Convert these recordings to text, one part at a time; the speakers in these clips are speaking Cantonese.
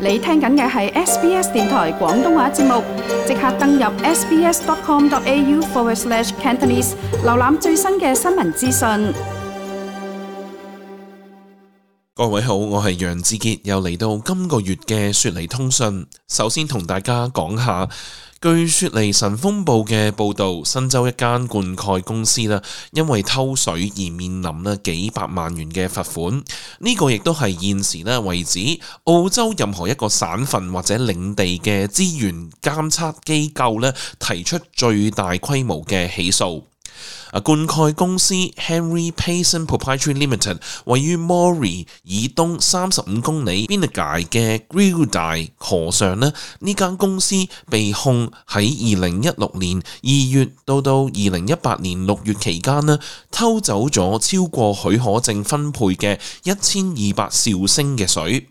你聽緊嘅係 SBS 電台廣東話節目，即刻登入 sbs.com.au/cantonese 瀏覽最新嘅新聞資訊。各位好，我係楊志傑，又嚟到今個月嘅雪梨通訊。首先同大家講下，據雪梨晨鋒報嘅報道，新州一間灌溉公司因為偷水而面臨幾百萬元嘅罰款。呢個亦都係現時為止澳洲任何一個省份或者領地嘅資源監測機構提出最大規模嘅起訴。灌溉公司 Henry Payson Proprietary Limited 位於 Moree 以東35公里 Binigay 嘅 Gilday 河上呢間公司被控喺2016年2月到2018年6月期間偷走咗超過許可證分配嘅1200兆升嘅水。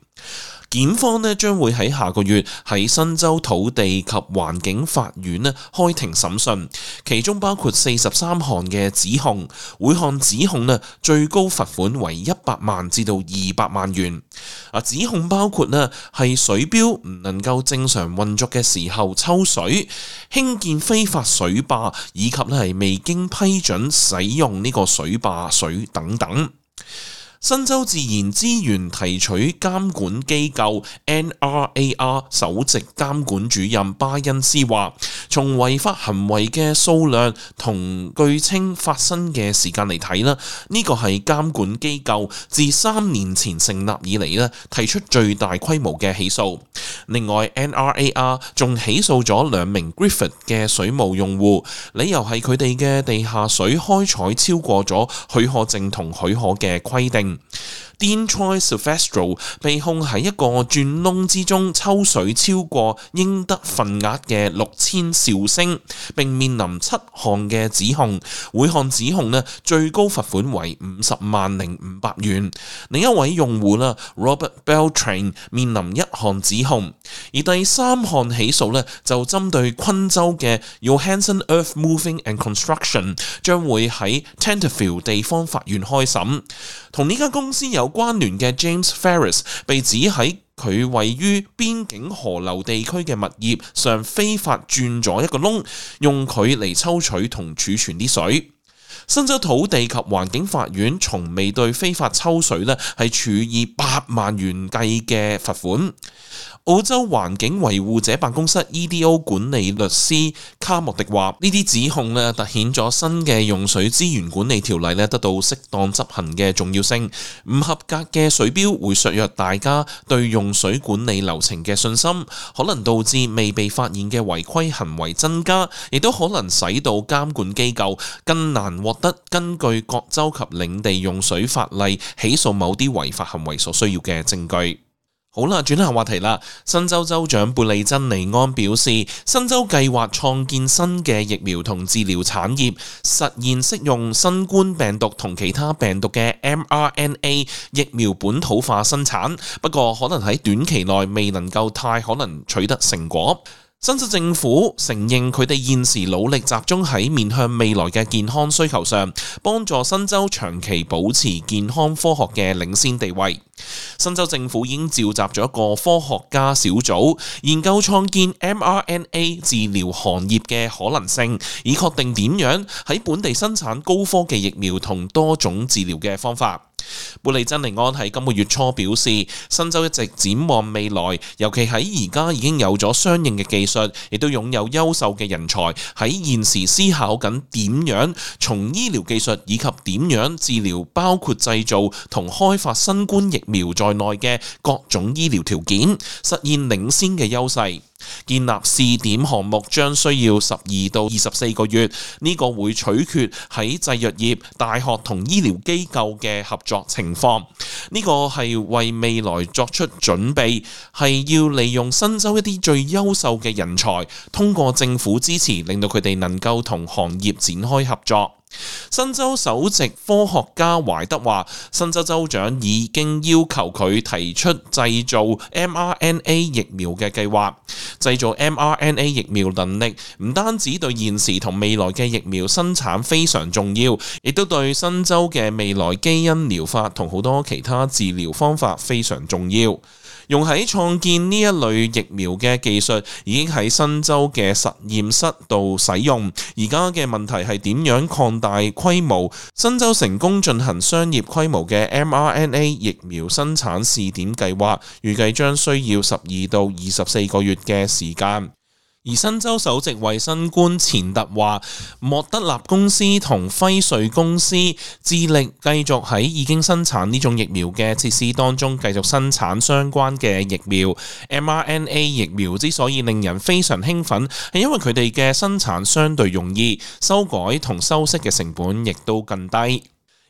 檢方將會喺下個月喺新州土地及環境法院開庭審訊，其中包括43項嘅指控，每項指控最高罰款為100萬至到200萬元。指控包括係水錶唔能夠正常運作嘅時候抽水、興建非法水壩以及係未經批准使用呢個水壩水等等。新州自然資源提取監管機構 NRAR 首席監管主任巴恩斯話，從違法行為嘅數量同據稱發生嘅時間嚟睇呢個係監管機構自3年前成立以嚟提出最大規模嘅起訴。另外 NRAR 仲起訴咗2名 Griffith 嘅水務用戶，理由係佢哋嘅地下水開採超過咗許可證同許可嘅規定。Dean Troy Silvestro 被控喺一個鑽窿之中抽水超過應得份額嘅6000兆升，並面臨7項嘅指控，每項指控最高罰款為50,500元。另一位用戶Robert Beltran 面臨1項指控，而第3項起訴就針對昆州嘅 Johansson Earth Moving and Construction 將會喺 Tenterfield 地方法院開審。同呢間公司有關聯嘅 James Ferris 被指喺佢位於邊境河流地區嘅物業上非法鑽咗一個窿，用佢嚟抽取同儲存啲水。新州土地及環境法院從未對非法抽水係處以8萬元計嘅罰款。澳洲環境維護者辦公室 EDO 管理律師卡莫迪話：呢啲指控凸顯咗新嘅用水資源管理條例得到適當執行嘅重要性。唔合格嘅水標會削弱大家對用水管理流程嘅信心，可能導致未被發現嘅違規行為增加，亦都可能使到監管機構更難獲得根據各州及領地用水法例起訴某啲違法行為所需要嘅證據。好啦，轉下話題啦。新州州長貝利珍尼安表示，新州計劃創建新嘅疫苗同治療產業，實現適用新冠病毒同其他病毒嘅 mRNA 疫苗本土化生產，不過可能喺短期內未能夠太可能取得成果。新州政府承認佢哋現時努力集中喺面向未來嘅健康需求上，幫助新州長期保持健康科學嘅領先地位。新州政府已經召集咗一個科學家小組，研究創建 mRNA 治療行業嘅可能性，以確定點樣喺本地生產高科技疫苗同多種治療嘅方法。貝利珍尼安喺今個月初表示，新州一直展望未來，尤其喺而家已經有咗相應嘅技術，亦都擁有優秀嘅人才，喺現時思考緊點樣從醫療技術以及點樣治療，包括製造同開發新冠疫苗在內嘅各種醫療條件，實現領先嘅優勢。建立試點項目將需要12到24個月，呢個會取決喺製藥業、大學同醫療機構嘅合作情況。呢個係為未來作出準備，係要利用新州一啲最優秀嘅人才，通過政府支持，令到佢哋能夠同行業展開合作。新州首席科學家懷德話，新州州長已經要求佢提出製造 mRNA 疫苗嘅計劃。製造 mRNA 疫苗能力唔單止對現時同未來嘅疫苗生產非常重要，亦都對新州嘅未來基因療法同好多其他治療方法非常重要。用喺創建呢一類疫苗嘅技術已經喺新州嘅實驗室度使用，而家嘅問題係點樣擴大規模。新州成功進行商業規模嘅 mRNA 疫苗生產試點計劃，預計將需要12到24個月嘅時間。而新州首席衛生官錢特話，莫德納公司同輝瑞公司致力繼續喺已經生產呢種疫苗嘅設施當中繼續生產相關嘅疫苗。mRNA 疫苗之所以令人非常興奮，係因為佢哋嘅生產相對容易，修改同修飾嘅成本亦都更低。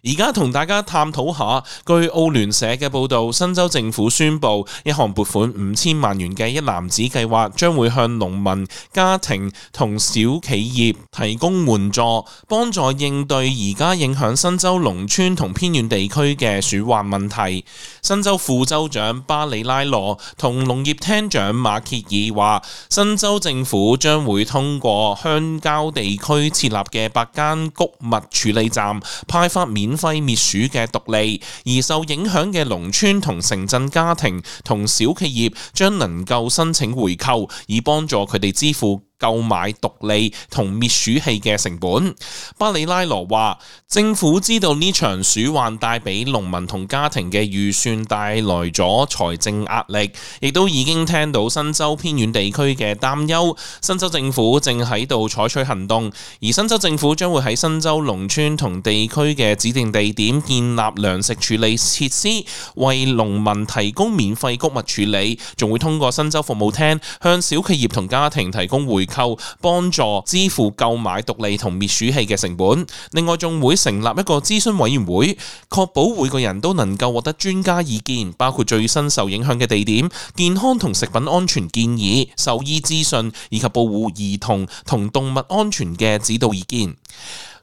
而家同大家探討下，據澳聯社嘅報導，新州政府宣布一項撥款5000萬元嘅一籃子計劃，將會向農民、家庭同小企業提供援助，幫助應對而家影響新州農村同偏遠地區嘅鼠患問題。新州副州長巴里拉羅同農業廳長馬歇爾話，新州政府將會通過鄉郊地區設立嘅8間穀物處理站，派發免費滅鼠嘅毒餌，而受影響嘅農村同城鎮家庭同小企業將能夠申請回扣，以幫助佢哋支付購買毒餌同滅鼠器嘅成本。巴里拉羅話，政府知道呢場鼠患帶俾農民同家庭嘅預算帶來咗財政壓力，亦都已經聽到新州偏遠地區嘅擔憂。新州政府正喺度採取行動，而新州政府將會喺新州農村同地區嘅指定地點建立糧食處理設施，為農民提供免費穀物處理，仲會通過新州服務廳向小企業同家庭提供回購，幫助支付購買毒餌同滅鼠器嘅成本。另外仲會成立一個諮詢委員會，確保每個人都能夠獲得專家意見，包括最新受影響嘅地點、健康同食品安全建議、獸醫資訊以及保護兒童同動物安全嘅指導意見。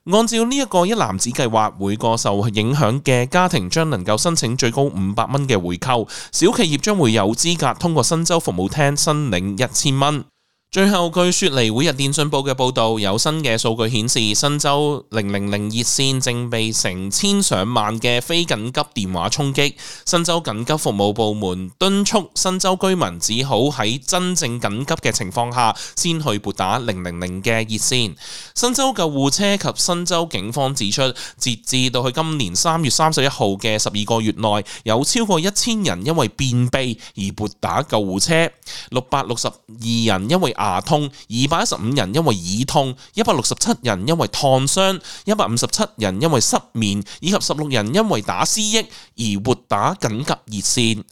按照呢一個一籃子計劃，每個受影響嘅家庭將能夠申請最高500蚊嘅回扣，小企業將會有資格通過新州服務廳申領1000蚊。最後，據雪梨每日電訊報嘅報導，有新嘅數據顯示，新州000熱線正被成千上萬嘅非緊急電話衝擊。新州緊急服務部門敦促新州居民只好喺真正緊急嘅情況下先去撥打000嘅熱線。新州救護車及新州警方指出，截至到去今年3月31號嘅12個月內，有超過1000人因為便秘而撥打救護車，662人因為牙痛，215人因為耳痛，167人因為燙傷，157人因為失眠，以及16人因為打思噎而撥打緊急熱線。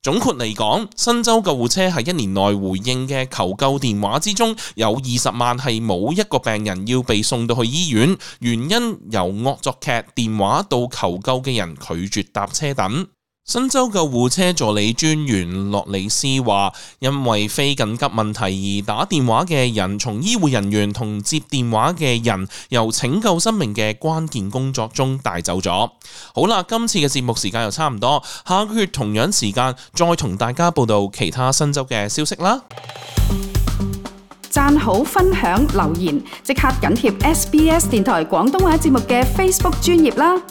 總括嚟講，新州救護車喺1年內回應嘅求救電話之中，有20萬係冇一個病人要被送到去醫院，原因由惡作劇電話到求救嘅人拒絕搭車等。新州救護車助理專員洛里斯話，因為非緊急問題而打電話嘅人，從醫護人員同接電話嘅人由拯救生命嘅關鍵工作中帶走咗。好啦，今次嘅節目時間又差唔多，下個月同樣時間再同大家報道其他新州嘅消息啦。讚好、分享、留言，即刻緊貼SBS 電台廣東話節目嘅 Facebook 專頁啦。